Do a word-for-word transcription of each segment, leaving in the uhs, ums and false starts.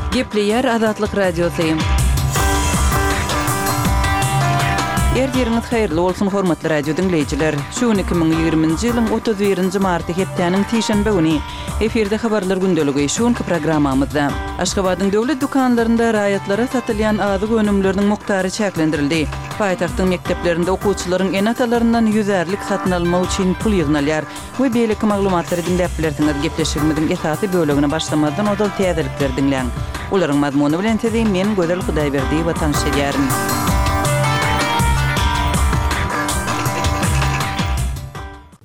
Gepleýär Azatlyk Radiosy. Ertiriňiz haýyrly bolsun, hormatly radio diňleýjiler. Şu gün iki müň ýigriminji ýylyň otuz birinji marty hepdäniň sişenbe güni. Efirde habarlar gündeligi. Şu günki programmamyzda Aşgabadyň döwlet dükanlarynda raýatlara satylýan azyk önümleriniň mukdary çäklendirildi. Paýtagtyň mekdeplerinde okuwçylaryň ene-atalaryndan ýüzärlik satyn almak üçin pul ýygnalýar we beýleki maglumatlary diňläp bilersiňiz. Gepleşigimiziň esasy bölegine başlamazdan ozal täzelikleri diňläň. Olaryň mazmuny bilen sizi men Gözel Hudaýberdiýewa tanyş edýärin.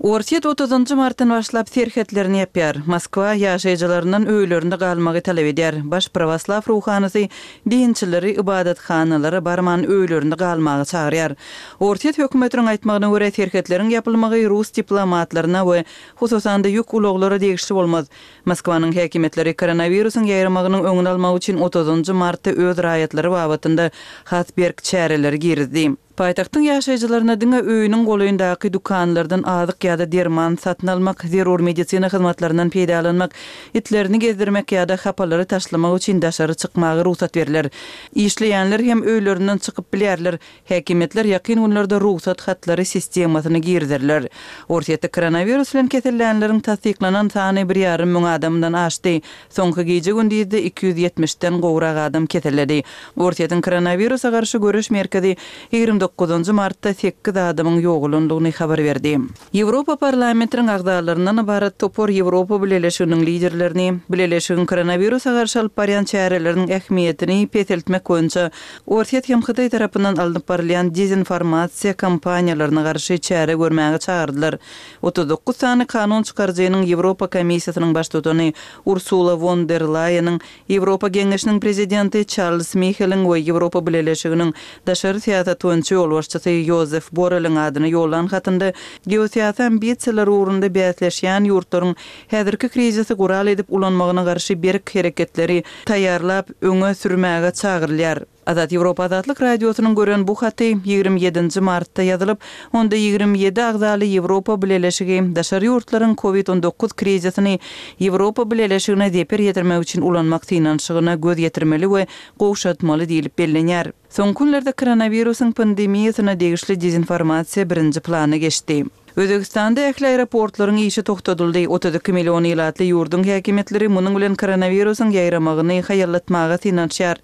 Orsýet otuzynjy martdan başlap serhetlerini ýapýar. Moskwa ýaşaýjylaryndan öýlerinde galmagy talap edýär. Baş prawoslaw ruhanysy dinçileri ybadathanalara barman öýlerinde galmaga çagyrýar. Orsýet hökümetiniň aýtmagyna görä, serhetleriň ýapylmagy rus diplomatlaryna we hususan-da ýük ulaglara degişli bolmaz. Moskwanyň häkimiýetleri koronawirusyň ýaýramagynyň öňüni almak üçin otuzynjy martda öz raýatlary babatynda has berk çäreleri girizdi. Paýtagtyň ýaşaýjylaryna diňe öýüniň golaýyndaky dükanlardan azyk ýa-da derman satyn almak, zerur medisina hyzmatlaryndan peýdalanmak, itlerini gezdirmek ýa-da hapalary taşlamak üçin daşary çykmaga rugsat berler. Işleýänler hem öýlerinden çykyp bilýärler. Häkimiýetler ýakyn günlerde rugsat hatlary sistemasyny girizerler. Orsýetde koronawirus bilen kesellänleriň tassyklanan sany bir ýarym müň adamdan aşdy. Soňky gije-gündizde iki ýüz ýetmişden gowrak adam keselledi. Orsýetiň koronawirusa garşy göreş merkezi ýigrimi dokuzynjy martda sekiz adamyň ýogalandygyny habar berdi. Ýewropa Parlamentiniň agzalaryndan ybarat topar Ýewropa Bileleşiginiň liderlerini Bileleşigiň koronawirusa garşy alyp barýan çäreleriniň ähmiýetini peseltmek boýunça Orsýet hem Hytaý tarapyndan alnyp barylýan dezinformasiýa kampaniýalaryna garşy çäre görmäge çagyrdylar. Otuz dokuz sany kanun çykaryjynyň Ýewropa Komissiýasynyň baştutany Ursula won der Laýeniň, Ýewropa Geňeşiniň prezidenti Çarlz Miheliň we Ýewropa Bileleşiginiň daşary syýasat boýunça ýolbaşçysy Ýozef Borreliň adyna ýollan hatynda geosyýasy ambisiýalar ugrunda bäsleşýän ýurtlaryň häzirki krizisi gural edip ulanmagyna garşy berk hereketleri taýýarlap öňe sürmäge çagyrylýar. Azat Ýewropa Azatlyk Radiosynyň gören bu haty ýigrimi ýedinji martda ýazylyp, onda ýigrimi ýedi agzaly Ýewropa Bileleşigi daşary ýurtlaryň Covid on dokuz krizisini Ýewropa Bileleşigine zeper ýetirmek üçin ulanmak synanyşygyna göz ýetirmeli we gowşatmaly diýlip bellenýär. Soňky günlerde koronawirusyň pandemiýasyna degişli dezinformasiýa birinji plana geçdi. Özbegistanda ähli aeroportlaryň işi togtadyldy. Otuz iki million ilatly ýurduň häkimiýetleri munuň bilen koronawirusyň ýaýramagyny haýallatmaga synanyşýar.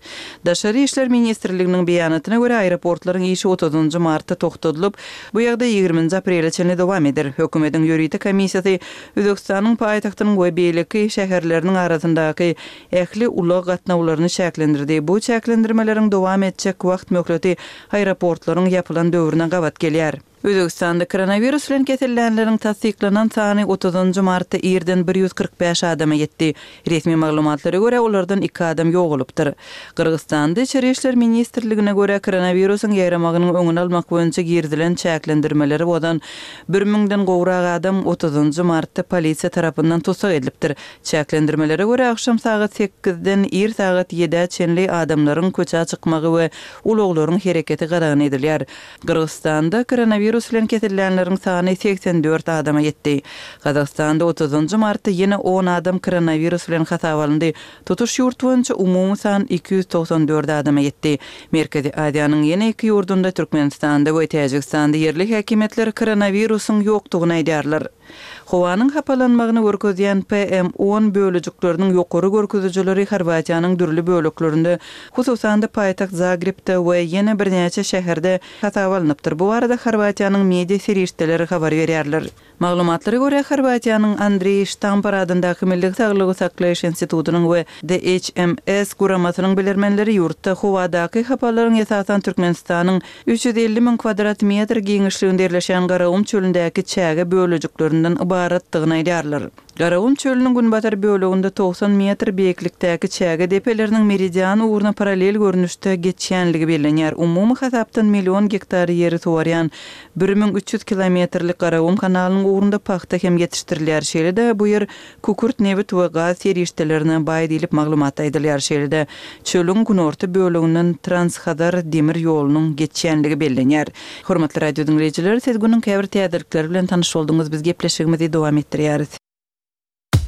Daşary işler ministrliginiň beýanatyna görä, aeroportlaryň işi otuzynjy martda togtadylyp, bu ýagdaý ýigriminji aprele çenli dowam eder. Hökümetiň ýörite komissiýasy Özbegistanyň paýtagtynyň we beýleki şäherleriniň arasyndaky ähli ulag gatnawlaryny çäklendirdi. Bu çäklendirmeleriň dowam etjek wagt möhleti aeroportlaryň ýapylan döwrüne gabat gelýär. Özbegistanda koronawirus bilen kesellänleriň tassyklanan sany otuzynjy martda irden bir ýüz kyrk bäş adama ýetdi. Resmi maglumatlara görä, olardan iki adam ýogalypdyr. Gyrgyzystanda Içeri işler ministrligine görä, koronawirusyň ýaýramagynyň öňüni almak boýunça girizilen çäklendirmeleri bozan bir müňden gowrak adam otuzynjy martda polisiýa tarapyndan tussag edilipdir. Çäklendirmelere görä, agşam sagat sekizden ir sagat ýedä çenli adamlaryň köçä çykmagy we ulaglaryň hereketi gadagan edilýär. Gyrgyzystanda koronawirus bilen kesellänleriň sany segsen dört adama ýetdi. Gazagystanda otuzynjy martda ýene on adam koronawirus bilen hasaba alyndy. Tutuş ýurt boýunça umumy san iki ýüz togsan dört adama ýetdi. Merkezi Aziýanyň ýene iki ýurdunda, Türkmenistanda we Täjigistanda ýerli häkimiýetler koronawirusyň ýokdugyny aýdýarlar. Howanyň hapalanmagyny görkezýän P M on bölejikleriniň ýokary görkezijileri Horwatiýanyň dürli böleklerinde, hususan-da paýtagt Zagrebde we ýene birnäçe şäherde hasaba alnypdyr. Bu barada Horwatiýanyň media serişdeleri habar berýärler. Maglumatlara görä, Horwatiýanyň Andreý Ştampar adyndaky Milli saglygy saklaýyş institutynyň we D H M S guramasynyň bilermenleri ýurtda howadaky hapalaryň esasan Türkmenistanyň üç ýüz elli müň kvadrat metr giňişliginde ýerleşen Garagum çölündäki çäge bölejiklerinden ybaratdygyny aýdýarlar. Garagum çölüniň günbatar böleginde togsan metr beýiklikdäki çäge depeleriniň meridian ugruna parallel görnüşde geçýänligi bellenýär. Umumy hasapdan million gektar ýeri suwarýan bir müň üç ýüz kilometrlik Garagum kanalynyň ugrunda pagta hem ýetişdirilýär. Şeýle-de bu ýer kükürt, nebit we gaz serişdelerine baý diýlip maglumat aýdylýar. Şeýle-de çölüň günorta böleginden Transhazar demir ýolunyň geçýänligi bellenýär. Hormatly radio diňleýjiler, siz günüň käbir täzelikleri bilen tanyş bolduňyz. Biz gepleşigimizi dowam etdirýäris.